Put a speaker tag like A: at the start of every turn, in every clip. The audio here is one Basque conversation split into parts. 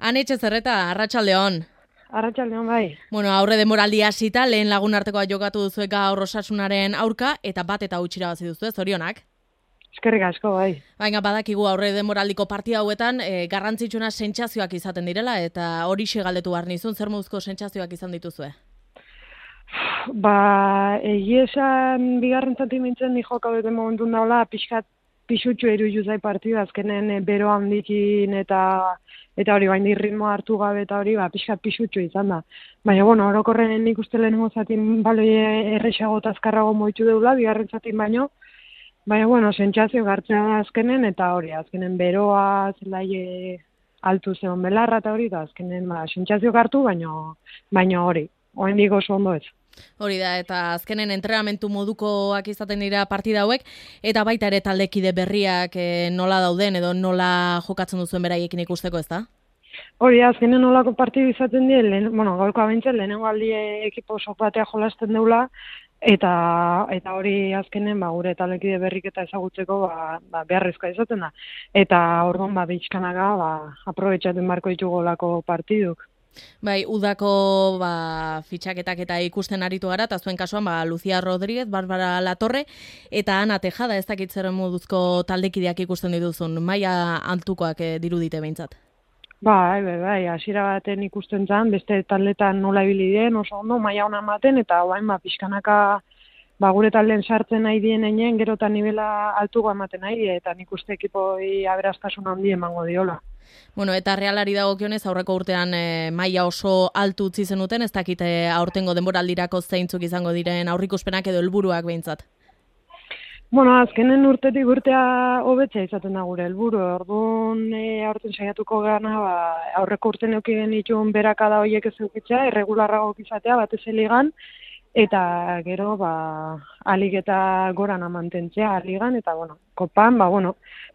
A: Anetxe Zerreta, arratsaldeon.
B: Arratsaldeon bai.
A: Bueno, aurre denboraldia hasita, lehen lagun artekoa jokatu duzuek gaur Osasunaren aurka, eta bat eta huts irabazi duzue, zorionak.
B: Eskerrik asko bai.
A: Baina badakigu aurre denboraldiko partida hauetan garrantzitsuena sentsazioak izaten direla, eta horixe galdetu behar nizun, zer moduzko sentsazioak izan dituzue?
B: Egia esan bigarren zati mintzen ni joka bete momentu daula pixkat pisutxu iruditu zai partida azkenen bero handikin eta hori bain ritmoa hartu gabe eta hori pixkat pisutxu izan da. Baina bueno, orokorren nik uste lehenengo zatin baloi erresago eta azkarrago moitu deula bigarren zatin baino. Baina bueno, sentsazio gartzea da azkenen eta hori azkenen beroa zelai altu zeon belarra eta hori da azkenen sentsazio hartu baino hori. Oraindik oso ondo ez.
A: Hori da, eta azkenen entrenamentu modukoak izaten dira partida hauek, eta baita ere taldekide berriak nola dauden edo nola jokatzen duzuen beraiekin ikusteko, ez da?
B: Hori azkenen nolako partidu izaten die, gaurko abintzen lehenengo aldi ekipo sok batea jolasten deula, eta hori azkenen gure taldekide berrik eta ezagutzeko beharrezkoa izaten da. Eta orduan bizkanaga aprobetxatzen barko ditugu olako partiduk.
A: Bai, udako fitxaketak eta ikusten aritu gara, eta zuen kasuan Lucia Rodríguez, Barbara Latorre, eta Ana Tejada, ez dakit zer moduzko taldekideak ikusten dituzun, maila altukoak dirudite behintzat.
B: Bai, hasiera baten ikusten zan, beste taldetan nola ibili den, oso ondo, maila ona ematen, eta orain pixkanaka gure talden sartzen nahi dien einen, gero eta nivela altuko ematen nahi, eta nik uste ekipoi aberastasun handi emango diola.
A: Bueno, eta Realari dagokionez aurreko urtean maila oso altu utzi zenuten, ez dakite aurtengo denboraldirako zeintzuk izango diren aurrikuspenak edo helburuak behintzat.
B: Bueno, azkenen urtetik urtea hobetzea izaten da gure helburu. Orduan aurten saiatuko gana aurreko urten eduki genituen berakada horiek ez edukitzea, irregularrago izatea batez ligan, eta gero alik eta gorana mantentzea ligan, eta kopan,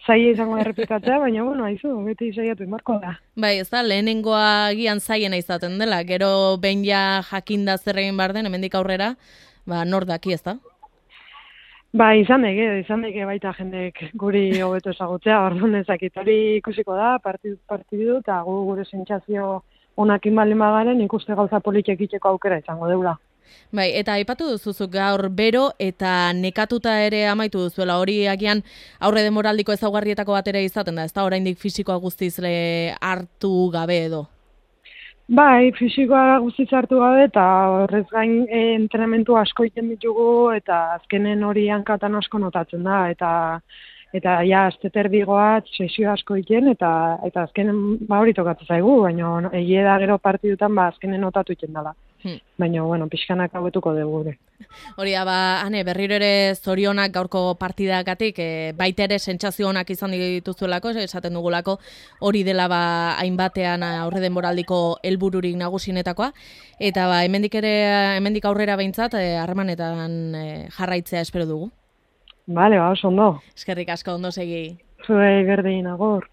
B: zaila izango errepikatzea, baina haizu, beti saiatu inbarko da.
A: Bai, ez da, lehenengoa gian zaiena izaten dela, gero behin ja jakinda zer egin behar den, hemendik aurrera, nor daki, ez da?
B: Izan deke baita jendek guri hobeto ezagutzea, orduan ezakit hori ikusiko da, partidu, eta gure sentsazio onakin baldin bagaren ikuste gauza politik itxeko aukera izango deula.
A: Bai, eta aipatu duzuzuk gaur bero eta nekatuta ere amaitu duzuela, hori agian aurre denboraldiko ezaugarrietako bat ere izaten da, ez da oraindik fisikoa guztiz hartu gabe edo?
B: Bai, fisikoa guztiz hartu gabe eta horrez gain entrenamentu asko egiten ditugu eta azkenen hori hankatan asko notatzen da eta ja azteterdigoat sesio asko egiten eta azkenen hori tokatzen zaigu, baina egia da gero partidutan azkenen notatu egiten dela. Baina, pixkanak hauetuko dugu.
A: Hori da, Ane, berriro ere zorionak gaurko partidagatik, baita ere sentsazio onak izan dituzuelako, esaten dugulako, hori dela hainbatean aurre denboraldiko helbururik nagusienetakoa, eta hemendik aurrera behintzat, harremanetan jarraitzea espero dugu.
B: Bale, oso ondo.
A: Eskerrik asko, ondo segi.
B: Zuei berdin, agur.